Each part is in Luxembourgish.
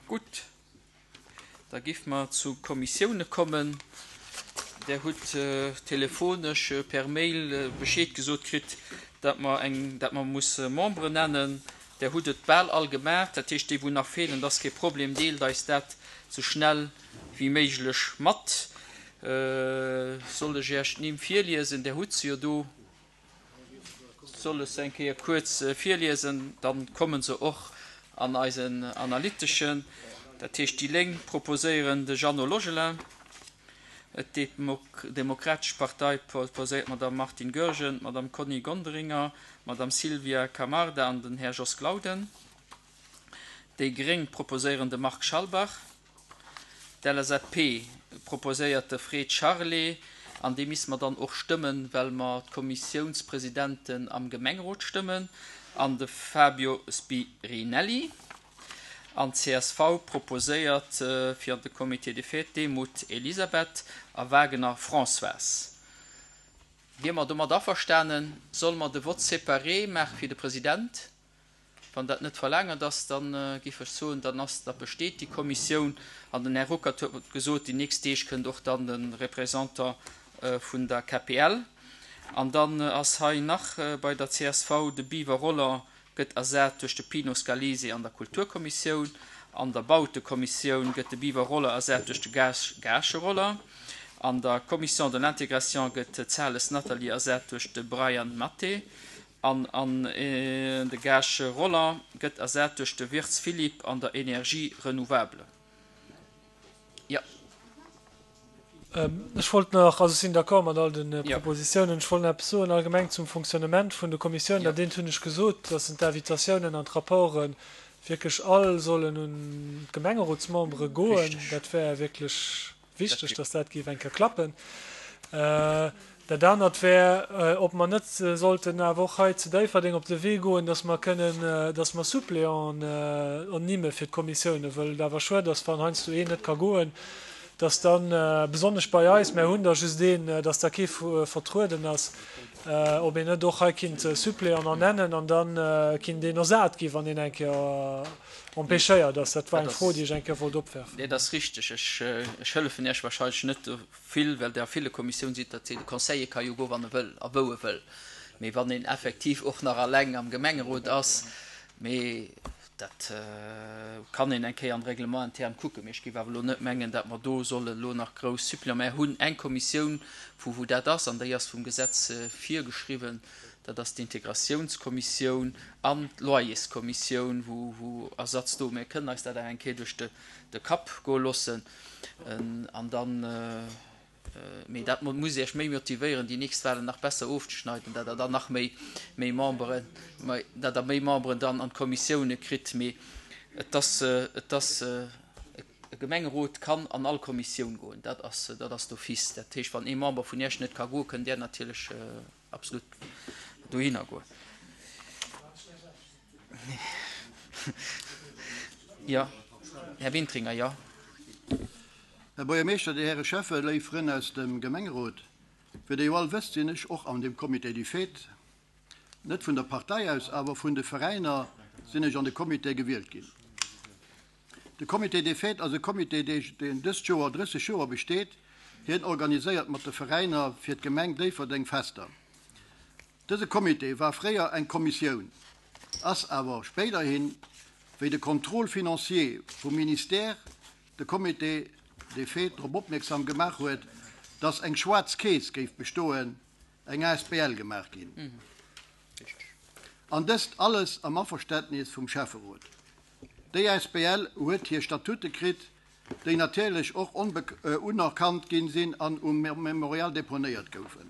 Gutt, da géife mer zu Kommissioune kommen. Der hutt telefonesch per Mail Bescheed gesot kritt, datt mer eng, datt mer musse Memberen nennen. Der hutt et bal all gemaach. Dat heescht, déi wou nach feelen, dat ass kee Problem, deelt eis dat sou schnell wéi méiglech mat. Soll ech Iech d'Nimm virliesen? Der hutt se jo do. Soll ech se eng Kéier kuerz virliesen, dann komme se och an eisen Analyteschen. Dat heescht, déi Lénk proposéieren de Jeannot Logelin, d'Demokratesch Partei proposéiert d'Madame Martine Goergen, d'Madame Conny Gonderinger, d'Madame Sylvia Camarda an den Här Jos Glauden. Déi Gréng proposéieren de Marc Schalbach. D'LSAP proposéiert de Fred Charlé, an dee misste mer dann och stëmmen, well mer d'Kommissiounspresidenten am Gemengerot stëmmen, an de Fabio Spirinelli. An csv proposéiert fir an de Comité des fêtes Demuth Elisabeth a Wagener Françoise. Wier mer domat averstanen? Solle mer de Vote séparé maache fir de President? Wann dat net verlaangert ass, da géif ech soen, dann ass, da besteet déi Kommissioun. An den Här Ruckert huet gesot, déi nächst Deeg kënnt och dann de Représentant vun der KPL. An dann ass hei nach bei der csv, de Biwer Roland gëtt ersat duerch de Pino Scalise an der Kulturkommissioun. An der Bautekommissioun gëtt de Biwer Roland ersat duerch de Gaasch Roland. An der Commission de l'intégration gëtt d'Sales Nathalie ersat duerch de Brian Mathe. An an de Gaasch Roland gëtt ersat duerch de Wirtz Philippe an der Energie renouvelable. Jo. Ech wollt nach, also ech sinn d'accord mat all de Propositionen, ech wollt nach eppes soen allgemeng zum Fonctionnement vun de Kommissiounen. Dat eent hunn ech gesot, dass en d'Invitatiounen an d'Rapporte wierklech all sollen un d'Gemengerotsmembere goen. Dat wär wierklech Wichteg, dass dat géif eng Kéier klappen. Dat anert wär, ob mer net sollten awer och hei zu Déifferdeng op de Wee goen, dass mer kënnen, dass mer Suppléanten ernimme fir d'Kommissiounen, wëll et awer schued ass, wann heiansdo een net ka goen, dass dann, besonnesch bei eis, mär hunn der just een, dass da kee vertrueden ass, ob een net och hei kinnt Suppléanten ernennen an da kinnt een ersat gi wann een eng Kéier Empêchéiert ass. Dat war eng Fro, déi ech eng Kéier wollt opwerfen. Dat ass richteg. Ech hëllefen Iech wahrscheinlech net vill, well Der a ville Kommissioun sidd. Dat seet, de Conseiller ka jo goen, wann e wëll a wou e wëll. Mee wann een effektiv och nach alleng am Gemengerot ass, mee dat kann een eng Kéier am Règlement interne kucken. Mee ech géif awer elo net mengen, datt mer do solle elo nach grouss Suppléant. Mer hunn eng Kommissioun, vu wou dat ass, an déi ass vum Gesetz virgeschriwwen. Dat ass d'Integratiounskommissioun an d'Loyerskommissioun, wou Ersatz do. Mir kënnen eis dat awer eng Kéier duerch de Kapp goe loossen an dann, mee dat muss Iech méi motivéieren, déi nächst Wahlen nach besser ofzeschneiden, datt Der dann nach méi Memberen, datt Der méi Memberen dann an d'Kommissioune kritt. Mee et ass, et ass, e Gemengerot kann an all Kommissioun goen, dat ass, dat ass d'office. Dat heescht, wann ee Member vun Iech net ka goen, kënnt Där natierlech Absolut dohinner goen. Jo, Här Wintringer, jo. Här Buergermeeschter, Dir Häre Schäffe, léif Frënn aus dem Gemengerot, wéi Der jo all wësst, sinn ech och an dem Comité des Fêtes. Net vun der Partei aus, awer vun de Veräiner sinn ech an de Comité gewielt ginn. De Comité des Fêtes ass e Comité, deen dëst Joer 30 Joer besteet. Hien organiséiert mat de Veräiner fir d'Gemeng Déifferdeng Fester. Dëse Comité war fréier eng Kommissioun, ass awer spéiderhin, wéi de Contrôle financier vum Ministère de Comité des Fêtes drop opmierksam gemaach huet, dass eng schwaarz Keess géif bestoen, eng asbl gemaach ginn. An dëst alles am Averständnis vum Schäfferot. Déi asbl huet hir Statute kritt, déi natierlech och unerkannt ginn sinn an um Memorial deponéiert goufen.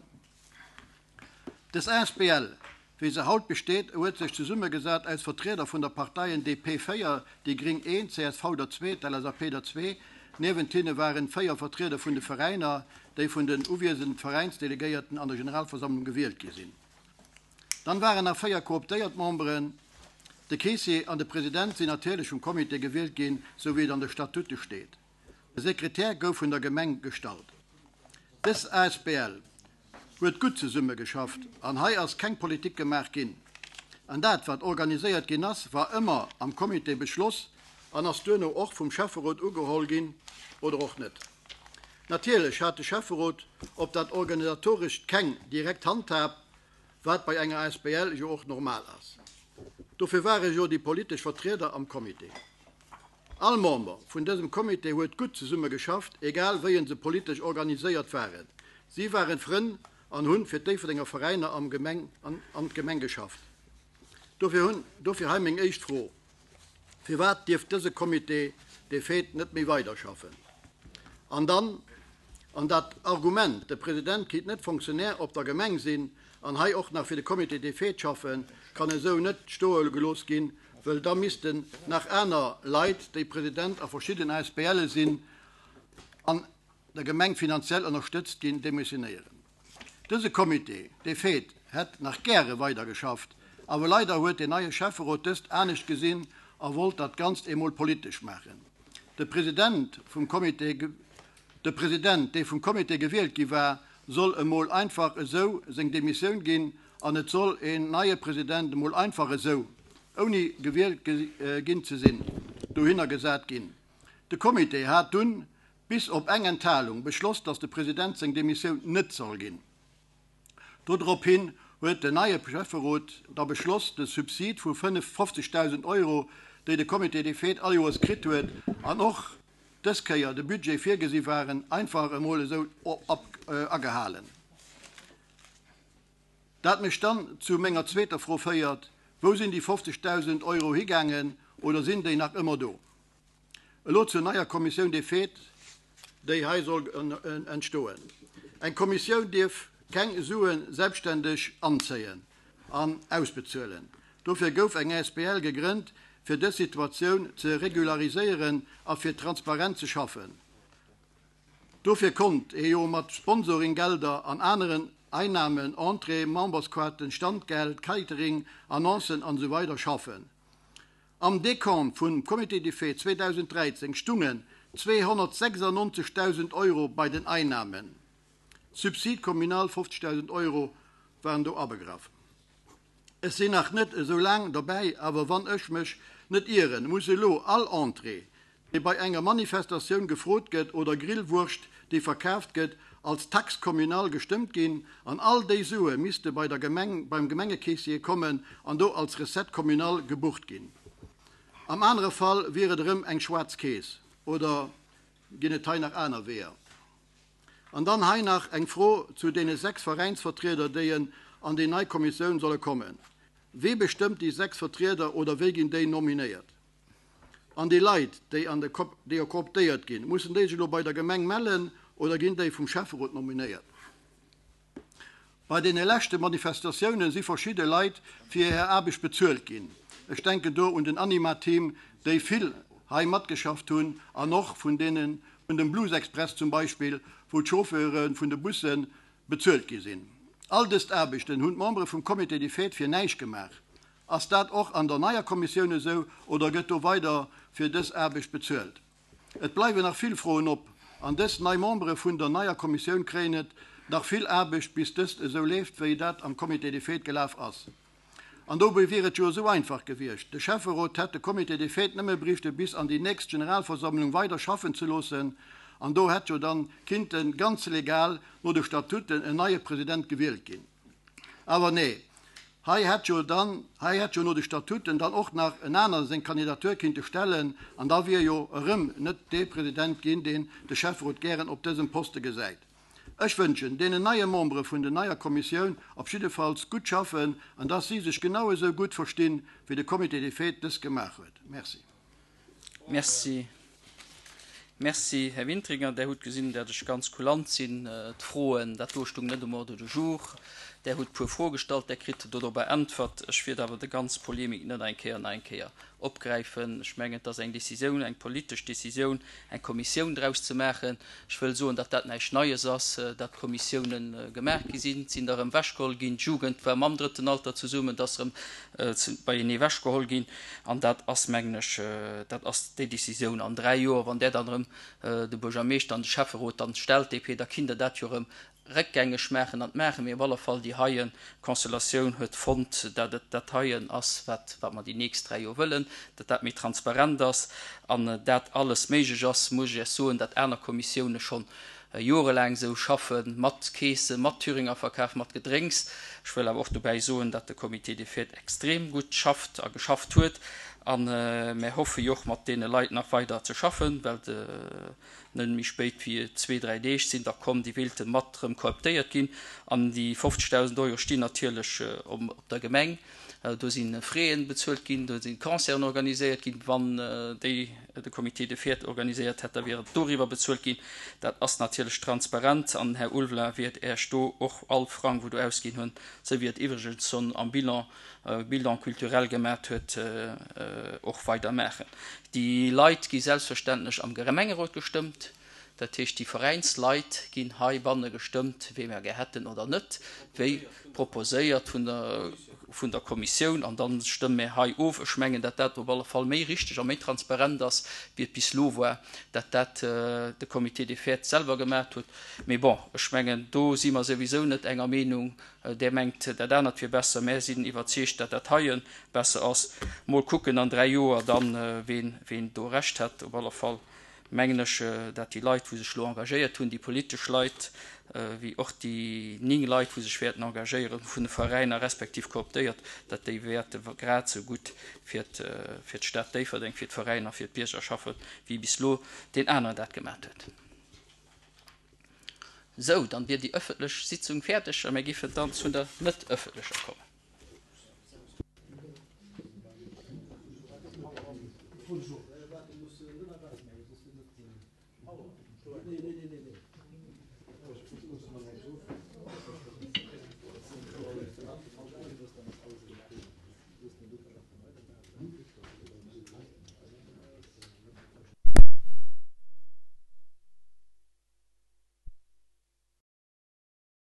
Dës asbl, wéi se haut besteet, huet sech zesummegesat aus Vertrieder vun der Parteien DP 4, déi Gring 1, csv der zwee, d'LSAP der zwee. Niewent hinne waren 4 Vertrieder vun de Veräiner, déi vun den uwiesenden Veräinsdelegéierten an der Generalversammlung gewielt gi sinn. Dann waren nach 4 kooptéiert Memberen. De Keessier an de President sinn natierlech vum Comité gewielt ginn, sou wéi et an de Statute steet. De Sekretär gouf vun der Gemeng gestallt. Dës asbl huet gutt zesumme geschafft an hei ass keng Politik gemaach ginn. An dat wat organiséiert ginn ass, war ëmmer am Comité beschloss. an ass duerno och vum Schäfferot ugeholl ginn oder och net. Natierlech hat de Schäfferot op dat Organisatorescht keng direkt Handhab, wat bei enger asbl jo och normal ass. Dofir ware jo déi politesch Vertrieder am Comité. All Member vun dësem Comité huet gutt zesumme geschafft, egal wéi se politesch organiséiert waren. Si waren Frënn an hunn fir d'Déifferdenger Veräiner am Gemeng an d'Gemeng geschafft. Dofir hunn dofir hei meng éischt Fro, Firwat dierf dëse Comité des fêtes net méi weiderschaffen? An dann, an dat Argument, de President kinnt net Fonctionnaire op der Gemeng sinn an hei och nach fir de Comité des fêtes schaffen, kann esou net stoe gelooss ginn, wëll da missten nach aner Leit, déi President a verschidden ASBLe sinn an der Gemeng finanziell ënnerstëtzt ginn, demissionéieren. Dëse Comité des fêtes hätt nach gäre weidergeschafft, awer leider huet den neie Schäfferot dëst anescht gesinn a wollt dat Ganzt emol politesch maachen. De President vum Comité, de President, dee vum Comité gewielt gi war, soll emol einfach esou seng Demissioun ginn an et soll een neie President emol einfach esou, ouni gewielt ginn ze sinn, dohinner gesat ginn. De Comité hat dunn, bis op eng Enthalung, beschloss, datt de President seng Demissioun net soll ginn. Dodrop hin huet den neie Schäfferot da beschloss, de Subsid vu 50.000 Euro, déi de Comité des Fêtes all Joers kritt huet an och dës Kéier de Budget virgesi waren, einfach emol esou agehalen. Dat mech dann zu menger zweeter Fro féiert, Wou sinn déi 50.000 Euro higaangen oder sinn déi nach ëmmer do? Elo zur neier Kommissioun des fêtes, déi hei soll entstoen. Eng Kommissioun dierf keng Sue selbstständeg anzéien an ausbezuelen. Dofir gouf eng asbl gegrënnt, fir dës Situatioun ze regulariséieren a fir Transparenz ze schaffen. Dofir konnt ee jo mat Sponsoringgelder an aneren Einnahmen, Entrée, Membersquarten, Standgeld, Catering, Annoncen an esou weider schaffen. Am Decompte vum Comité des Fêtes 2013 stungen 296.000 Euro bei den Einnahmen, Subside communal 50.000 Euro waren do abegraff. Ech sinn nach net esou laang dobäi, awer wann ech mech net ieren, muss elo all Entrée, déi bei enger Manifestatioun gefrot gëtt oder Grillwurscht, déi verkaaft gëtt, als Taxe communale gestëmmt ginn an all déi Sue misste bei der Gemeng, beim Gemengekeessier kommen an do als Recette communale gebucht ginn. Am anere Fall wier et erëm eng schwaarz Keess. Oder ginn et hei nach aner Weeër? An dann hei nach eng Fro zu deene 6 Veräinsvertrieder, déi en an déi nei Kommissioun solle kommen. Wee bestëmmt déi 6 Vertrieder oder wéi ginn déi nominéiert? An déi Leit, déi an de déi kooptéiert ginn, mussen déi sech elo bei der Gemeng mellen oder ginn déi vum Schäfferot nominéiert? Bei deene leschte Manifestatioune si verschidde Leit fir hir Aarbecht bezuelt ginn. Ech denken do un den Anima-Team, déi vill hei matgeschafft hunn, an och vun deene vun dem Blues Express zum Beispill, wou d'Chauffeure vun de Busse bezuelt gi sinn. All dëst Aarbechten hunn d'Membere vum Comité des Fêtes fir näischt gemaach. Ass dat och an der neier Kommissioun esou oder gëtt do weider fir dës Aarbecht bezuelt? Et bleiwen nach vill Froen op an dës nei Membere vun der neier Kommissioun kréien et nach vill Aarbecht bis dëst esou leeft wéi dat am Comité des Fêtes gelaf ass. An dobäi wier et jo esou einfach gewiescht, de Schäfferot hätt de Comité des Fêtes nëmme berichte bis an déi nächst Generalversammlung weider schaffen ze loossen an do hätt jo dann kinnte ganz legal no de Statuten en neie President gewielt ginn. Awer nee, hei hätt jo dann, hei hätt jo no de Statuten dann och nach en aner seng Kandidatur kinnte stellen an da wier jo erëm net dee President ginn, deen de Schäfferot gären op dësem Poste gesäit. Ech wënschen deenen neie Membere vun den neier Kommissioun op jiddefalls gutt Schaffen an dass si sech genau esou gutt verstinn, wéi de Comité des Fêtes dëst gemaach huet. Merci. Merci. Merci, Här Wintringer. Der hutt gesinn, dat ech ganz kulant sinn. D'Froen, dat do stung net um Ordre du jour. Der hutt e puer Froe gestallt, Der kritt dodrobber Äntwert. Ech wiert awer déi ganz Polemik net eng Kéier nach eng Kéier opgräifen. Ech mengen, et ass eng Décisioun, eng politesch Décisioun, eng Kommissioun draus ze maachen. Ech wëll soen, datt dat näischt Neies ass, datt Kommissiounen gemaach gi sinn. Et sinn der erëm ewechgeholl ginn. D'Jugend war mam Drëtten Alter zesummen, et ass erëm beienee ewechgeholl ginn. An dat ass, mengen ech, dat ass déi Décisioun. An dräi Joer, wann Der dann erëm de Buergermeeschter an de Schäfferot dann stellt, DP, da kinnt Der dat jo erëm. Réckgängeg maachen an maachen, mee op alle Fall déi heie Constellatioun huet fonnt, dat et dat heien ass, wat wat mer déi nächst 3 Joer wëllen, dat dat méi transparent ass an dat alles méiglech ass, muss ech Iech soen, dat aner Kommissioune schonn jorelaang esou schaffen, mat Keesen, mat Thüringer Verkaf, mat Gedrénks. Ech wëll awer och dobäi soen, dat de Comité des Fêtes extrem gutt schafft a geschafft huet a mär hoffe jo och mat deene Leit nach weider ze schaffen, well de Net méi spéit wéi zwee, dräi Deeg sinn da komm, déi wéilte mat erëm kooptéiert ginn. An déi 50.000 Euro stinn natierlech op der Gemeng. Do si Fräen bezuelt ginn, do si Concerten organiséiert ginn. Wann déi de Comité des Fêtes organiséiert hätt, da wier et doriwwer bezuelt ginn. Dat ass natierlech transparent an den Här Ulveling wäert Äech do och all Frang, wou do ausginn hunn, esou wéi et iwwregens schonn am Bilan, Bilan culturel gemat huet, och weider maachen. Déi Leit gi selbstverständlech am Gemengerot gestëmmt. Dat heescht, déi Veräinsleit ginn heibanne gestëmmt, wee mer gär hätten oder net, wéi proposéiert vun der, vun der Kommissioun. An da stëmme mer hei of. Ech mengen, datt dat op alle Fall méi richteg a méi transparent ass, wéi et bis elo war, datt dat de Comité des Fêtes selwer gemat huet. Mee bon, ech mengen, do si mer souwisou net enger Meenung. Där mengt, dat anert wier besser. Mär sinn iwwerzeegt, dat dat heie besser ass. Mol kucken an 3 Joer dann, ween, ween do Recht hätt. Op alle Fall mengen ech, dat déi Leit, wou sech elo engagéiert hunn, déi politesch Leit, wéi och déi 9 Leit, wou sech wäerten engagéieren vun de Veräiner respektiv kooptéiert, dat déi wäerte grad esou gutt fir fir d'Stad Déifferdeng, fir d'Veräiner, fir d'Bierger schaffen, wéi bis elo deen aneren dat gemat huet. Sou, dann wier déi ëffentlech Sitzung fäerdeg a mir giffen dann zu der net ëffentlecher kommen.